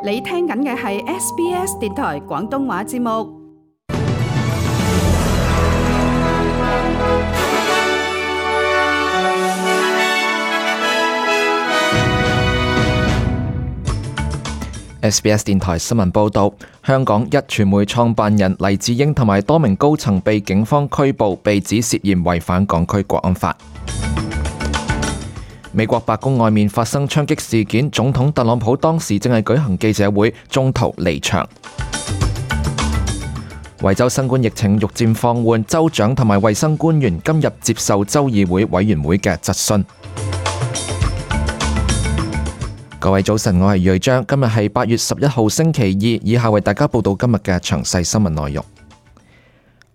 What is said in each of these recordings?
你聽緊嘅係 SBS 電台廣東話節目。SBS 電台新聞報導，香港壹傳媒創辦人黎智英同埋多名高層被警方拘捕，被指涉嫌違反港區國安法。美國白宮外面發生槍擊事件，總統特朗普當時正係舉行記者會，中途離場。維州新冠疫情逐漸放緩，州長同埋衛生官員今日接受州議會委員會嘅質詢。各位早晨，我係瑞章，今日係8月11號星期二，以下為大家報道今日嘅詳細新聞內容。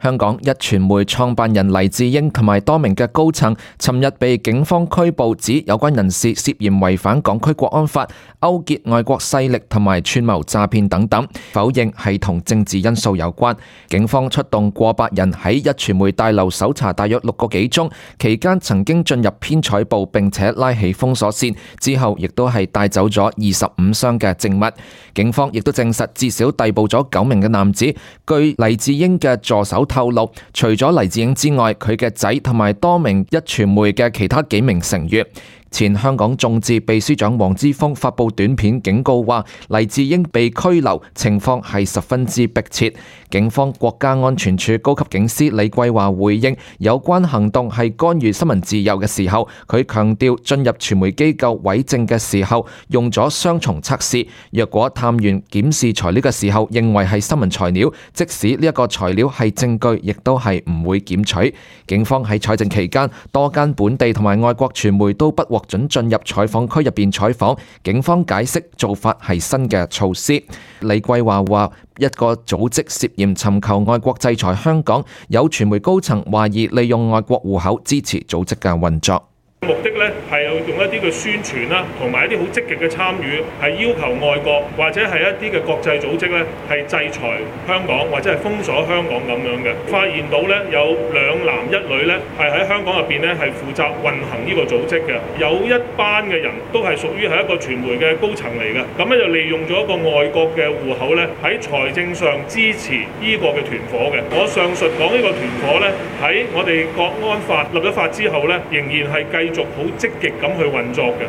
香港壹傳媒創辦人黎智英同埋多名嘅高層，尋日被警方拘捕，指有關人士涉嫌違反港區國安法、勾結外國勢力同埋串謀詐騙等等，否認係同政治因素有關。警方出動過百人喺壹傳媒大樓搜查大約6個幾鐘，期間曾經進入編採部並且拉起封鎖線，之後亦都係帶走咗25箱嘅證物。警方亦都證實至少逮捕咗9名嘅男子。據黎智英嘅助手透露，除咗黎智英之外，佢嘅仔同埋多名壹傳媒嘅其他幾名成員。前香港眾志秘書長黃之鋒發布短片警告話，黎智英被拘留情況係十分之迫切。警方國家安全處高級警司李桂華回應有關行動係干預新聞自由嘅時候，佢強調進入傳媒機構委證嘅時候用咗雙重測試，若果探員檢視材料嘅時候認為係新聞材料，即使呢一個材料係證據，亦都係唔會檢取。警方喺採證期間，多間本地同埋外國傳媒都不獲准進入採訪區入邊採訪，警方解釋做法係新嘅措施。李桂華話，一個組織涉嫌尋求外國制裁香港，有傳媒高層懷疑利用外國戶口支持組織嘅運作。目的咧係用一啲嘅宣傳啦，同埋一啲好積極嘅參與，係要求外國或者係一啲嘅國際組織咧係制裁香港或者係封鎖香港咁樣嘅。發現到咧有2男1女咧係喺香港入邊咧係負責運行呢個組織嘅，有一班嘅人都係屬於係一個傳媒嘅高層嚟嘅，咁咧就利用咗一個外國嘅戶口咧喺財政上支持呢個嘅團夥嘅。我上述講呢個團夥咧喺我哋國安法立咗法之後咧，仍然係繼續好積極咁去運作嘅。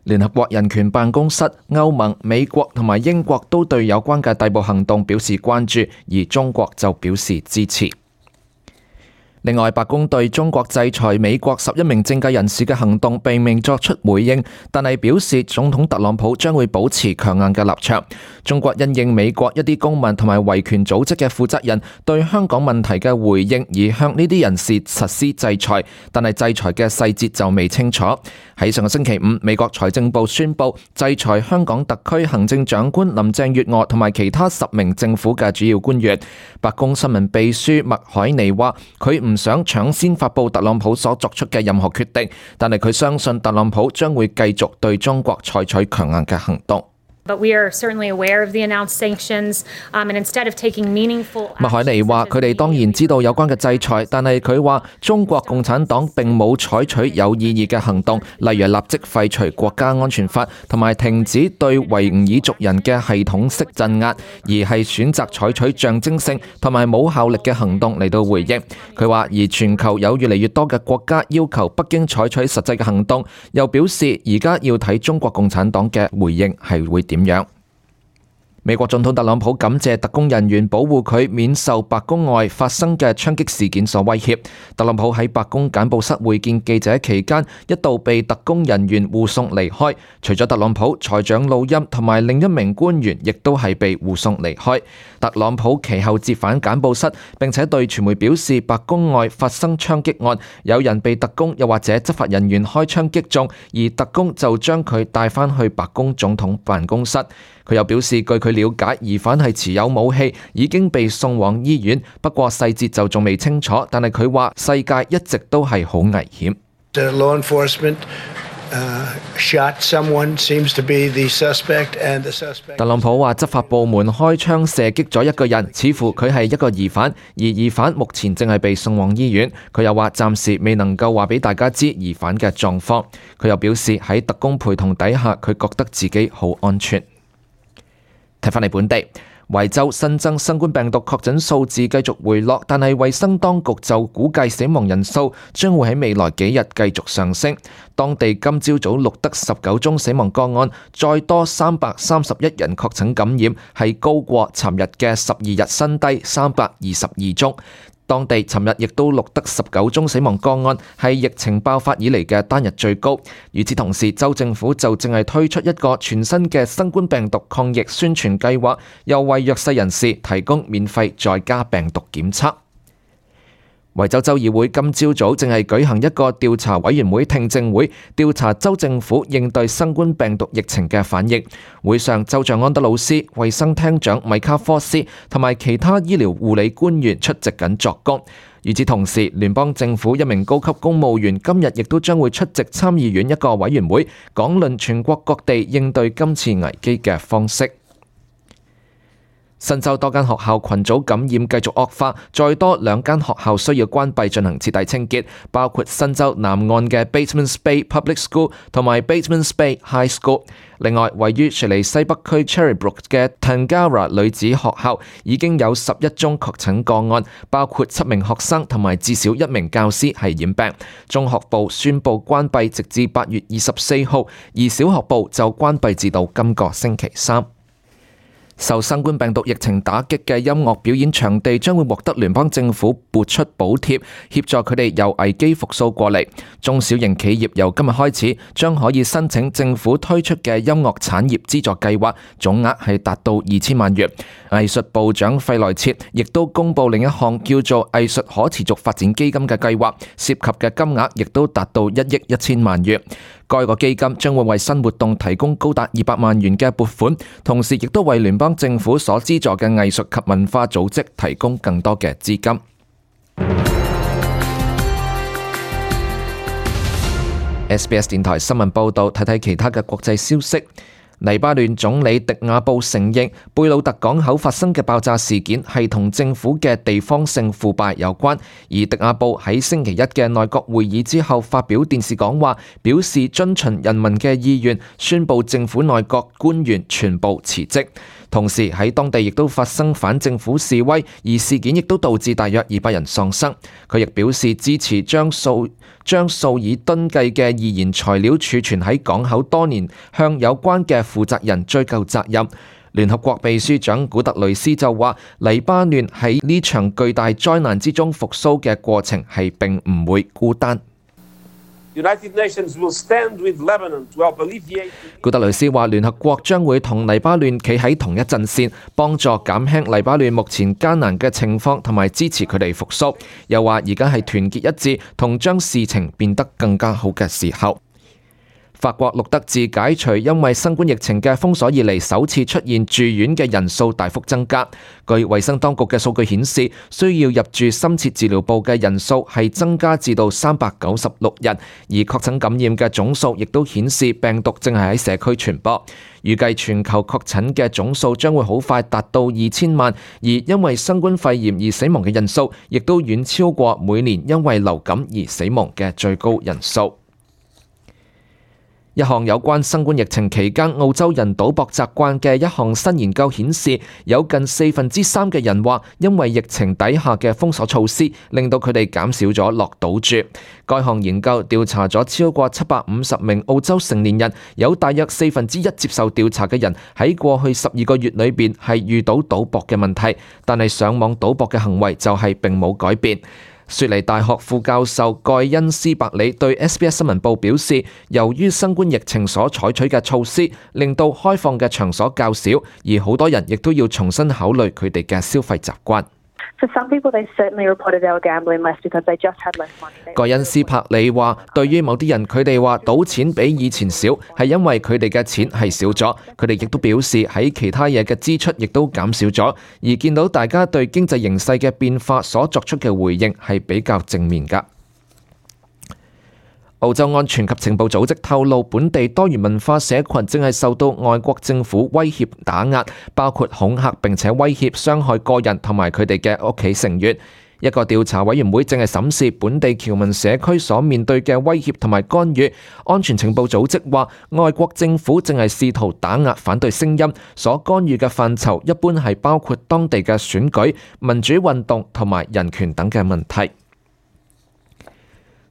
聯合國人權辦公室、歐盟、美國同埋英國都對有關嘅逮捕行動表示關注，而中國就表示支持。另外，白宮對中國制裁美國11名政界人士嘅行動並未作出回應，但係表示總統特朗普將會保持強硬嘅立場。中國因應美國一啲公民同埋維權組織嘅負責人對香港問題嘅回應，而向呢啲人士實施制裁，但係制裁嘅細節就未清楚。喺上個星期5，美國財政部宣布制裁香港特區行政長官林鄭月娥同埋其他10名政府嘅主要官員。白宮新聞秘書麥海尼話，佢唔想搶先發布特朗普所作出嘅任何決定，但係佢相信特朗普將會繼續對中國採取強硬嘅行動。But we are certainly aware of the announced sanctions, and instead of taking meaningful. 麥海尼話：佢哋當然知道有關嘅制裁，但係佢話中國共產黨並冇採取有意義嘅行動，例如立即廢除國家安全法同埋停止對維吾爾族人嘅系統式鎮壓，而係選擇採取象徵性同埋冇效力嘅行動嚟到回應。佢話：而全球有越嚟越多嘅國家要求北京採取實際嘅行動，又表示而家要睇中國共產黨嘅回應係會點樣。美國總統特朗普感謝特工人員保護佢免受白宮外發生嘅槍擊事件所威脅。特朗普喺白宮簡報室會見記者期間，一度被特工人員護送離開。除咗特朗普，財長魯欽同埋另一名官員亦都係被護送離開。特朗普其後折返簡報室，並且對傳媒表示，白宮外發生槍擊案，有人被特工又或者執法人員開槍擊中，而特工就將佢帶返去白宮總統辦公室。佢又表示，據佢了解，疑犯係持有武器，已經被送往醫院，不過細節就仲未清楚。但係佢話世界一直都係好危險。Law enforcement shot someone, seems to be the suspect, and the suspect. 特朗普話執法部門開槍射擊咗一個人，似乎佢係一個疑犯，而疑犯目前正係被送往醫院。佢又話暫時未能夠話俾大家知疑犯嘅狀況。佢又表示喺特工陪同底下，佢覺得自己好安全。睇返嚟本地，維州新增新冠病毒確診數字繼續回落，但係衛生當局就估計死亡人數將會喺未來幾日繼續上升。當地今朝早錄得19宗死亡個案，再多331人確診感染，係高過尋日嘅12日新低322宗。當地尋日亦都錄得19宗死亡個案，係疫情爆發以嚟嘅單日最高。與此同時，州政府就正係推出一個全新嘅新冠病毒抗疫宣傳計劃，又為弱勢人士提供免費在家病毒檢測。維州州議會今朝早正係舉行一個調查委員會聽證會，調查州政府應對新冠病毒疫情嘅反應。會上，州長安德魯斯、衛生廳長米卡科斯同埋其他醫療護理官員出席緊作供。與此同時，聯邦政府一名高級公務員今日亦都將會出席參議院一個委員會，講論全國各地應對今次危機嘅方式。新州多間學校群組感染繼續惡化，再多2間學校需要關閉進行徹底清潔，包括新州南岸嘅 Batemans Bay Public School 同埋 Batemans Bay High School。另外，位於雪梨西北區 Cherrybrook 嘅 Tangara 女子學校已經有11宗確診個案，包括7名學生同埋至少1名教師係染病。中學部宣布關閉直至8月24號，而小學部就關閉至到今個星期3。受新冠病毒疫情打擊嘅音樂表演場地將會獲得聯邦政府撥出補貼，協助佢哋由危機復甦過嚟。中小型企業由今日開始將可以申請政府推出嘅音樂產業資助計劃，總額係達到2000萬元。藝術部長費萊切亦都公布另一項叫做藝術可持續發展基金嘅計劃，涉及嘅金額亦都達到1億1000萬元。該個基金將會為新活動提供高達200萬元嘅撥款，同時亦都為聯邦政府所資助嘅藝術及文化組織提供更多嘅資金。SBS 電台新聞報道，睇睇其他嘅國際消息。黎巴嫩總理迪亞布承認貝魯特港口發生嘅爆炸事件係同政府嘅地方性腐敗有關，而迪亞布喺星期一嘅內閣會議之後發表電視講話，表示遵循人民嘅意願，宣布政府內閣官員全部辭職。同時喺當地亦都發生反政府示威，而事件亦都導致大約200人喪生。佢亦表示支持將數以噸計嘅易燃材料儲存喺港口多年，向有關嘅負責人追究責任。聯合國秘書長古特雷斯就話，黎巴嫩喺呢場巨大災難之中復甦嘅過程係並唔會孤單。古特雷斯話，聯合國將會同黎巴嫩企喺同一陣線，幫助減輕黎巴嫩目前艱難嘅情況，同埋支持佢哋復甦。又話而家係團結一致，同將事情變得更加好嘅時候。法國錄得自解除因為新冠疫情嘅封鎖以嚟首次出現住院嘅人數大幅增加。據衛生當局嘅數據顯示，需要入住深切治療部嘅人數係增加至到396人，而確診感染嘅總數亦都顯示病毒正係喺社區傳播。預計全球確診嘅總數將會好快達到2000萬，而因為新冠肺炎而死亡嘅人數亦都遠超過每年因為流感而死亡嘅最高人數。一項有關新冠疫情期間澳洲人賭博習慣嘅一項新研究顯示，有近3%嘅人話，因為疫情底下嘅封鎖措施，令到佢哋減少咗落賭注。該項研究調查咗超過750名澳洲成年人，有大約1/4接受調查嘅人喺過去12個月裏邊係遇到賭博嘅問題，但係上網賭博嘅行為就係並冇改變。雪梨大學副教授蓋恩斯伯里對 SBS 新聞部表示，由於新冠疫情所採取嘅措施，令到開放嘅場所較少，而好多人亦都要重新考慮佢哋嘅消費習慣。蓋恩斯柏里話，對於某啲人，佢哋話賭錢比以前少，係因為佢哋嘅錢係少咗。佢哋亦都表示喺其他嘢嘅支出亦都減少咗，而見到大家對經濟形勢嘅變化所作出嘅回應係比較正面㗎。澳洲安全及情報組織透露，本地多元文化社群正係受到外國政府威脅打壓，包括恐嚇並且威脅傷害個人同埋佢哋嘅屋企成員。一個調查委員會正係審視本地僑民社區所面對嘅威脅同埋干預。安全情報組織話，外國政府正係試圖打壓反對聲音，所干預嘅範疇一般係包括當地嘅選舉、民主運動同埋人權等嘅問題。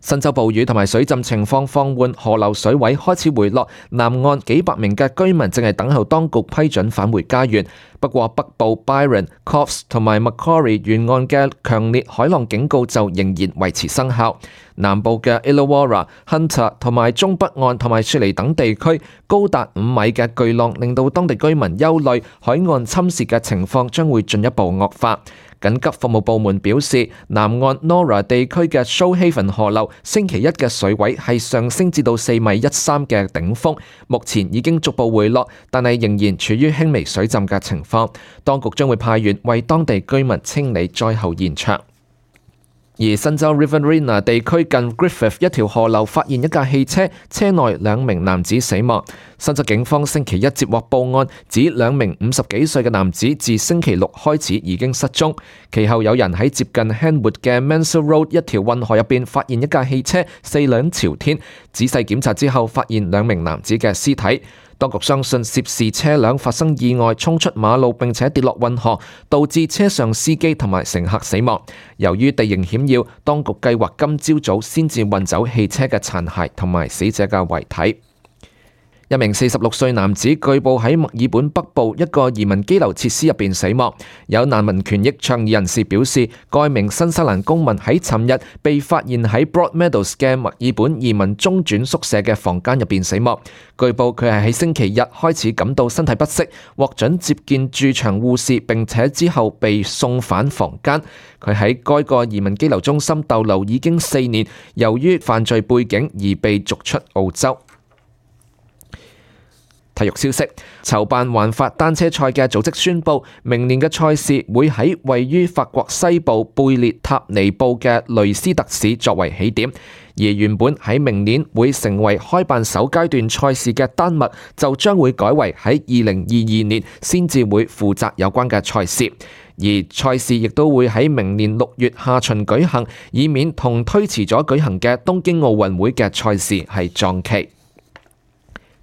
新州暴雨同埋水浸情況放緩，河流水位開始回落，南岸幾百名嘅居民正係等候當局批准返回家園。不過北部 Byron、Coffs 同埋 Macquarie 沿岸嘅強烈海浪警告就仍然維持生效。南部嘅 Illawarra、Hunter 同埋中北岸同埋雪梨等地區高達5米嘅巨浪，令到當地居民憂慮海岸侵蝕嘅情況將會進一步惡化。緊急服務部門表示，南岸 Nora 地區嘅 Shoalhaven 河流星期一嘅水位係上升至到4.13米嘅頂峰，目前已經逐步回落，但係仍然處於輕微水浸嘅情況。當局將會派員為當地居民清理災後現場。而新州 Riverina 地區近 Griffith 一條河流發現一架汽車，車內2名男子死亡。新州警方星期一接獲報案，指2名50幾歲嘅男子自星期六開始已經失蹤。其後有人喺接近 Henwood 嘅 Mansell Road 一條運河入邊發現一架汽車4輪朝天，仔細檢查之後發現2名男子嘅屍體。當局相信涉事車輛發生意外，衝出馬路並且跌落運河，導致車上司機同埋乘客死亡。由於地形險要，當局計劃今朝早先至運走汽車嘅殘骸同埋死者嘅遺體。一名46歲男子據報喺墨爾本北部一個移民羈留設施入邊死亡。有難民權益倡議人士表示，該名新西蘭公民喺尋日被發現喺 Broadmeadows 嘅墨爾本移民中轉宿舍嘅房間入邊死亡。據報佢係喺星期日開始感到身體不適，獲准接見駐場護士，並且之後被送返房間。佢喺該個移民羈留中心逗留已經4年，由於犯罪背景而被逐出澳洲。體育消息，籌辦環法單車賽嘅組織宣布，明年嘅賽事會喺位於法國西部貝列塔尼布嘅雷斯特市作為起點，而原本喺明年會成為開辦首階段賽事嘅丹麥，就將會改為喺2022年先至會負責有關嘅賽事，而賽事亦都會喺明年6月下旬舉行，以免同推遲咗舉行嘅東京奧運會嘅賽事係撞期。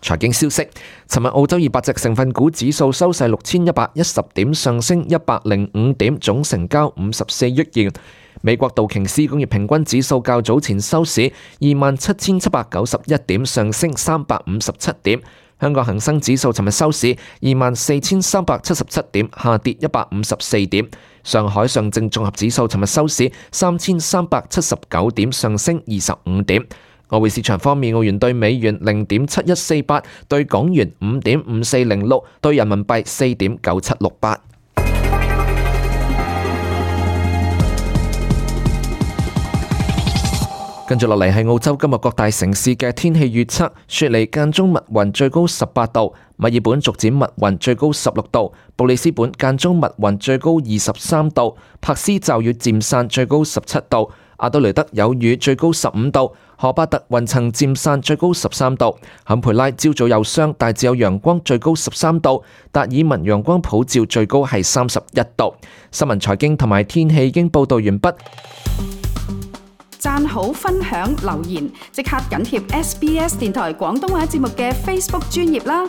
財經消息，尋日澳洲200隻成分股指數收市6110點，上升105點，總成交54億元。美國道瓊斯工業平均指數較早前收市27791點，上升357點。香港恒生指數尋日收市24377點，下跌154點。上海上證綜合指數尋日收市3379點，上升25點。外匯市場方面，澳元兌美元0.7148，兌港元5.5406，兌人民幣4.9768。跟住落嚟係澳洲今日各大城市嘅天氣預測：雪梨間中密雲，最高18度；墨爾本逐漸密雲，最高16度；布里斯本間中密雲，最高23度；柏斯驟雨漸散，最高17度；阿德雷德有雨，最高15度；荷巴特雲層漸散，最高13度；坎培拉朝早有霜，大致有陽光，最高13度；達爾文陽光普照，最高係31度。新聞財經同埋天氣已經報道完畢。讚好、分享、留言，即刻緊貼SBS 電台廣東話節目嘅 Facebook 專頁啦！